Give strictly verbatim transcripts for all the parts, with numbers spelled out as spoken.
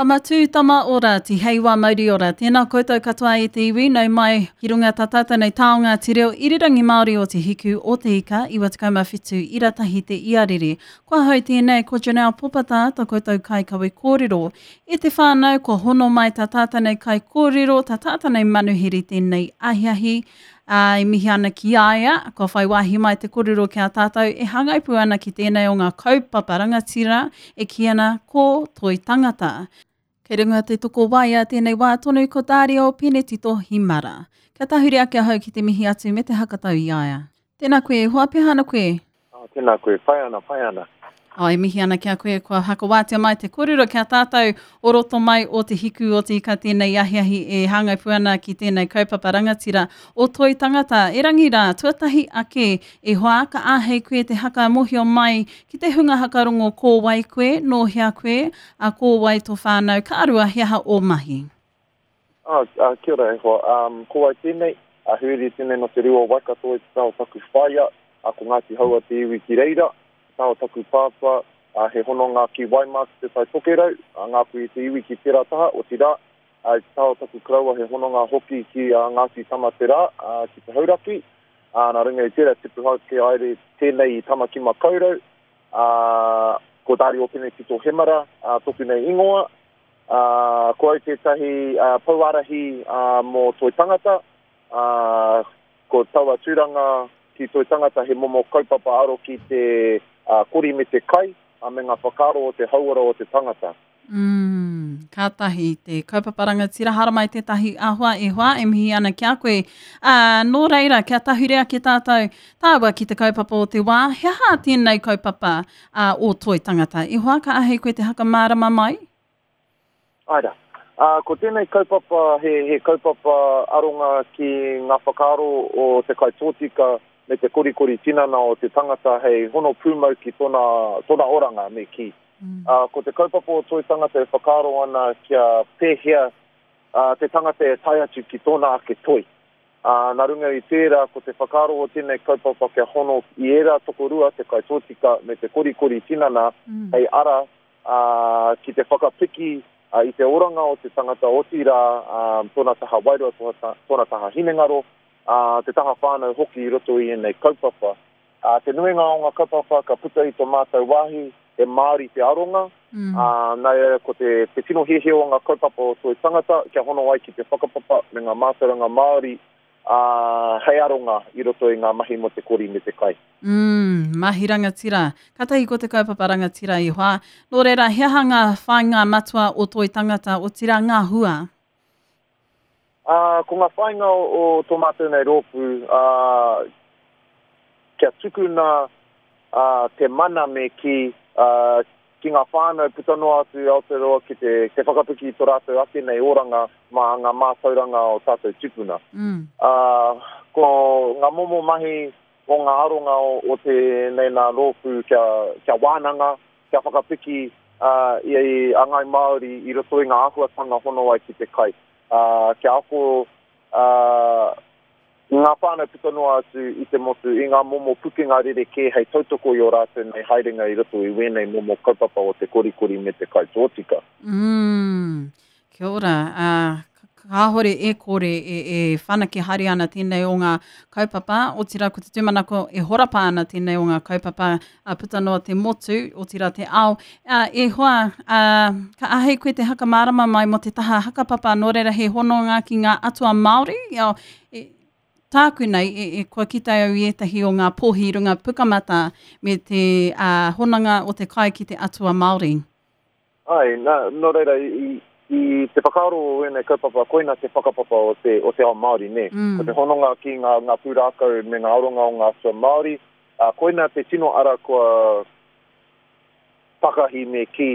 Tama tū, tama ora, tihei wā mauri ora. Tēnā koutou katoa e te iwi, nau mai ki runga tā tātou nei taonga te reo irirangi Māori o Te Hiku o Te Ika, iwa tekau mā whitu ira tahi te iarere. Kua hau tēnei, ko Janelle Popata, tā koutou kaikawe kōrero. E te whānau, kua hono mai tā tātou nei kai kōrero, tā tātou nei manuhiri tēnei ahiahi. Ā, e mihi ana ki a ia, kua whai wāhi mai te kōrero ki a tātou e hāngai pū ana ki tēnei o ngā kaupapa rangatira e kī ana ko Toi Tangata. Kei runga te tokowaea tēnei wā tonu ko Dario Penetito Himara. Kia tahuri ake ahau ki te mihi atu me te hakatau i a ia. Tēnā koe, hoa peha ana koe? Oh, tēnā koe, pai ana, pai ana. Oh, e mihi ana ki a koe, kua hakawātea mai te kōrero ki a tātou o roto mai o Te Hiku o Te Ika tēnei ahiahi e hāngai pū ana ki tēnei kaupapa rangatira o Toi Tangata. Erangi rā, tuatahi ake e hoa, ka āhei koe te haka mohio mai ki te hunga hakarongo ko wai koe, nō hea koe, a ko wai tō whānau, ka arua he aha o mahi. Oh, uh, kia ora e hoa. Um, ko wai tēnei, a huri tēnei no te rua o Waikato i te taha o taku whaia, a ko Ngāti Haua te iwi ki reira, taha o taku pāpā, a he hononga ki Waimā ki te Tai Tokerau, a Ngāpuhi te iwi ki tērā taha, otirā, a i te taha o taku karaua he hononga hoki ki a Ngāti Tamaterā, a, ki te Hauraki, a, nā runga i tērā tipu hauke aere tēnei i Tamaki Makaurau, a, ko Dario Penetito Hemara, a, toku nei ingoa, a, ko au tētahi a, pouārahi a, mō Toi Tangata, a, ko taua tūranga ki Toi Tangata he momo kaupapa aro ki te uh, kori me te kai, a me ngā whakaaro o te hauora o te tangata. Mm, kātahi te kaupapa rangatira, haramai tētahi āhua e hoa, e mihi ana ki a koe. Uh, nō reira, kia tahuri ake tātou tāua ki te kaupapa o te wā, he aha tēnei kaupapa uh, o Toi Tangata? E hoa, ka āhei koe te hakamārama mai? Aira. Uh, ko tēnei kaupapa, he, he kaupapa aronga ki ngā whakaaro o te kai tōtika me te korikori tinana o te tangata hei hono pūmau ki tōna, tōna oranga me ki. Mm. Uh, ko te kaupapa o Toi Tangata e whakaaro ana kia pēhea uh, te tangata e tae atu ki tōna ake toi. Uh, nā runga i tērā, ko te whakaaro o tēnei kaupapa kia hono i ērā tokorua, te kai tōtika me te korikori tinana, mm. hei ara uh, ki te whakapiki uh, i te oranga o te tangata, otirā uh, tōna taha wairua, tōna, tōna taha hinengaro, uh, te taha whānau hoki i roto i ēnei kaupapa. Uh, te nuinga o ngā kaupapa ka puta i tō mātou wāhi, he Māori te aronga, mm. uh, nā, ko te, te tino hiahia o ngā kaupapa o Toi Tangata, kia hono ai ki te whakapapa me ngā mātauranga Māori, uh, hei aronga i roto i ngā mahi mō te kori me te kai. Mm, mahi rangatira. Kātahi ko te kaupapa rangatira i hoa. Nō reira, he aha ngā whāinga matua o Toi Tangata, otirā ngā hua? Uh, ko ngā whāinga o, o tō mātou nei rōpū, uh, kia tukuna uh, te mana me ki, uh, ki ngā whānau puta noa atu i Aotearoa ki te, te whakapiki i tō rātou ake nei oranga mā ngā mātauranga o tātou tupuna. Mm. Uh, ko ngā momo mahi o ngā aronga o, o tēnei nā rōpū kia, kia wānanga, kia whakapiki uh, i, i a Ngāi Māori i roto i ngā āhuatanga hono ai ki te kai. Uh, kia ako uh, ngā whānau puta noa atu i te motu, i ngā momo pukenga rerekē hei tautoko i o rātou nei haerenga i roto i wēnei momo kaupapa o te korikori me te kai tōtika. Mm, kia ora. Uh, kāhore e kore e, e whanake haere ana tēnei o ngā kaupapa, otirā ko te tūmanako e horapa ana tēnei o ngā kaupapa uh, puta noa te motu, otirā te ao. Uh, e hoa, uh, ka āhei koe te hakamārama mai mō te taha hakapapa, nō reira he hononga ki ngā atua Māori, e, e, tāku nei, e, e, kua kite au i ētahi o ngā pōhi runga pukamata me te uh, hononga o te kai ki te atua Māori. Ai, nā, nō reira, i, i te whakaaro o ēnei kaupapa, koina te whakapapa o te, o te ao Māori, nē. Mm. Ko te hononga ki ngā, ngā pūrākau me ngā aronga o ngā atua Māori, uh, koina te tino ara kua takahi me ki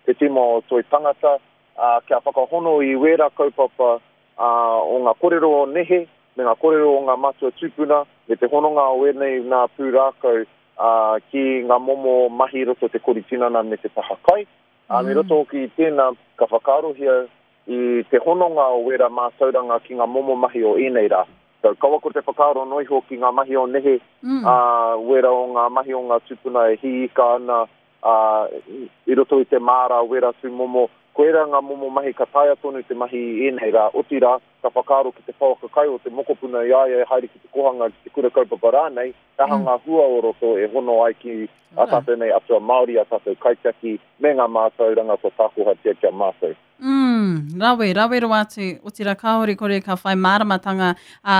te tima o Toi Tangata, uh, kia whakahono i wērā kaupapa uh, o ngā kōrero o nehe, me ngā kōrero o ngā matua tūpuna, me te hononga o ēnei nā pūrākau uh, ki ngā momo mahi roto te kori tinana me te taha kai. Uh, me roto hoki i tēnā, ka whakaarohia i te hononga o wērā mātauranga ki ngā momo mahi o ēnei rā. So, kaua ko te whakaaro noa iho ki ngā mahi o nehe, mm. uh, wērā o ngā mahi o ngā tūpuna e hīika ana, uh, i roto i te māra, wērā tū momo, Koirā ngā momo mahi ka taea tonu te mahi i ēnei rā, otirā, ka whakaaro ki te pouaka kai o te mokopuna i a ia e haere ki te kohanga, ki te kura kaupapa rānei, he aha mm. ngā hua o roto e hono ai ki a tātou nei atua Māori, a tātou kaitiaki, me ngā mātauranga kua tākohatia ki a mātou. Mm, rawe, rawe rawa atu, otirā kāore kore ka whai māramatanga a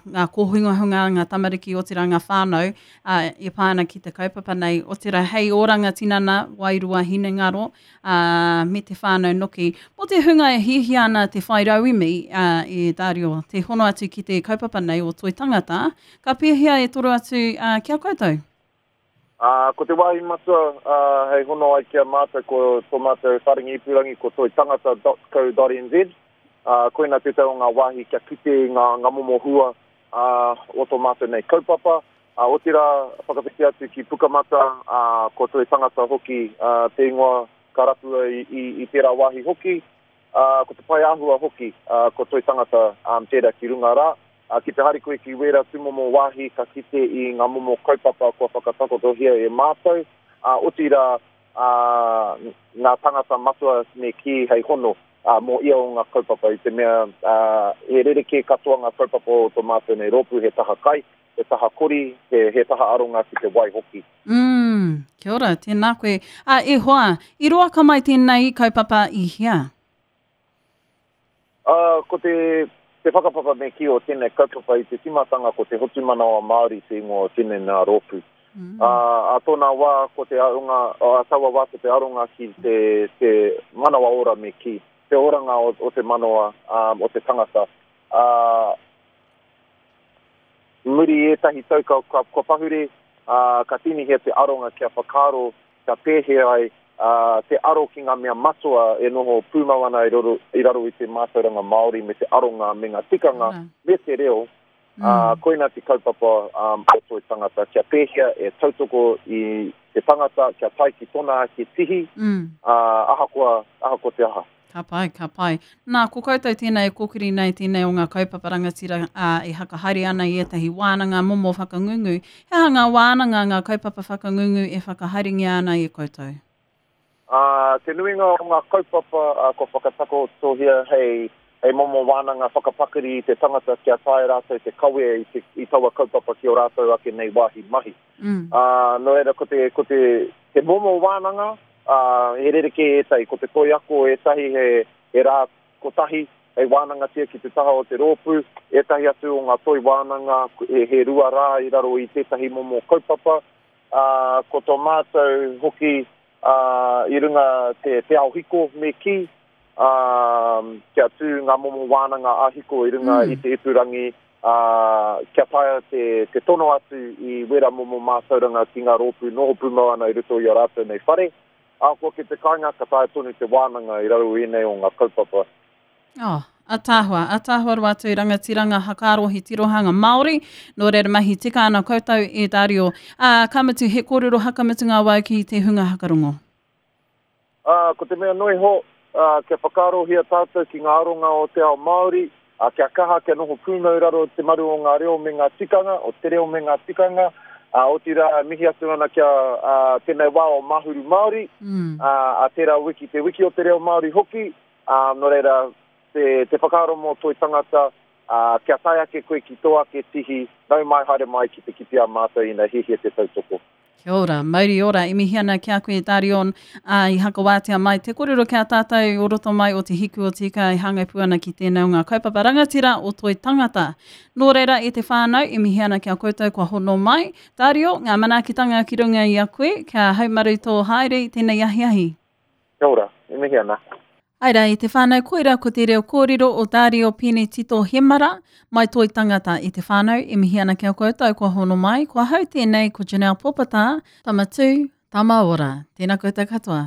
ngā kōhungahunga, ngā tamariki, otirā ngā whānau a, e pā ana ki te kaupapa nei, otirā hei oranga tinana, wairua hinengaro, a, me te whānau noki. Mō te hunga e hiahia ana te whai rauemi a, e Dario, te hono atu ki te kaupapa nei o Toi Tangata, ka pēhea e toro atu a, ki a koutou? Uh, ko te wāhi matua uh, hei hono ai ki a mātou ko tō mātou wharengi ipurangi ko toitangata dot co dot nz. Uh, koina tētahi o ngā wāhi kia kite i ngā, ngā momo hua uh, o tō mātou nei kaupapa. Uh, otirā whakawhiti atu ki Pukamata, uh, ko Toi Tangata hoki uh, te ingoa ka rapua i, i, i tērā wāhi hoki. Uh, ko te pae āhua hoki, uh, ko Toi Tangata um, tērā ki runga rā. Uh, ki te haere koe ki wērā tūmomo wāhi ka kite i ngā momo kaupapa kua whakatakotohia e mātou, uh, otirā uh, ngā tangata matua me kī hei hono uh, mō ia o ngā kaupapa i te mea uh, he rerekē katoa ngā kaupapa o tō mātou nei rōpū, he taha kai, he taha kori, he, he taha aronga ki te wai hoki. Mm, kia ora, tēnā koe. Uh, e hoa, i roa ka mai tēnei kaupapa i hea? Uh, ko te Te whakapapa me kī o tēnei kaupapa i te timatanga ko te Hotumanawa Māori te ingoa o tēnei nā rōpū. Mm. Uh, a tōna wā ko te aronga, a taua wā ko te aronga ki te, te manawa ora me kī, te oranga o, o te manawa um, o te tangata. Uh, muri ētahi tau ka, ka, ka pahure, uh, ka tīnihia te aronga kia whakaaro, kia pēhea ai, Uh, te aro ki ngā mea matua e noho pūmau ana i raro, i raro i te mātauranga Māori me te aronga me ngā tikanga mm. me te reo, mm. uh, koina te kaupapa um, o Toi Tangata, kia pēhea e tautoko i te tangata, kia tae ki tōna ake tihi, mm. uh, ahakoa, ahakoa te aha. Ka pai, ka pai. Nā, ko koutou tēnei e kōkiri nei tēnei o ngā kaupapa rangatira uh, e whakahaere ana i ētahi wānanga momo whakangungu. He aha ngā wānanga, ngā kaupapa whakangungu e whakahaerengia ana e koutou? Uh, te nuinga o ngā kaupapa uh, kua whakatakotohia hei, hei momo wānanga whakapakari i te tangata kia tae rātou te kawe i, te, i taua kaupapa ki o rātou ake nei wāhi mahi. Mm. Uh, nō reira ko te, ko te, te momo wānanga, uh, he rerekē ētahi, ko te toi ako ētahi he, he rā kotahi, hei wānangatia ki te taha o te rōpū, ētahi atu o ngā toi wānanga, he, he rua rā i raro i tētahi momo kaupapa. Uh, ko tō mātou hoki Uh, i runga te, te ao hiko me kī, uh, kia tū ngā momo wānanga a hiko i runga mm. i te ipurangi, uh, kia taea te, te tono atu i wera momo mātauranga ki ngā rōpū noho pūmau ana i roto i a rātou nei whare. Ahakoa ki te kāinga, ka taea tonu te wānanga i raro i ēnei o ngā kaupapa. Oh. Ataahua, ataahua rawa atu rangatiranga hakaaro he tirohanga Māori, nō reira mahi tika ana koutou e Dario. Uh, ka mutu he kōrero hakamutunga wau ki te hunga hakarongo. Uh, ko te mea noi ho, uh, kia whakaarohia tātou ki ngā aronga o te ao Māori, uh, kia kaha, kia noho pūmau raro te maru o ngā reo me ngā tikanga, o te reo me ngā tikanga, uh, otirā mihi atu ana kia uh, tēnei wā o Mahuru Māori, mm. uh, a tērā wiki, te wiki o te reo Māori hoki, uh, nō reira, te, te whakaaro mō Toi Tangata, uh, kia tae ake koe ki tō ake tihi, nau mai haere mai ki te kite a mātou ina hiahia te tautoko. Kia ora, mauri ora, e mihi ana ki a koe Darion, uh, i hakawātea mai te kōrero ki a tātou o roto mai o te hiku o te ika e hāngai pū ana ki tēnei o ngā kaupapa rangatira o Toi Tangata. Nō reira e te whānau, e mihi ana ki a koutou kua hono mai. Dario, ngā manaakitanga ki runga i a koe, kia haumaru tō haere i tēnei ahiahi. Kia ora, e mihi ana. Aira, i te whānau koira ko te reo kōrero o Dario Penetito Hemara, mai Toi Tangata i te whānau, e mihi ana ki a koutou kua hono mai, kua hau tēnei ko Janelle Popata, tama tū, tama ora. Tēnā koutou katoa.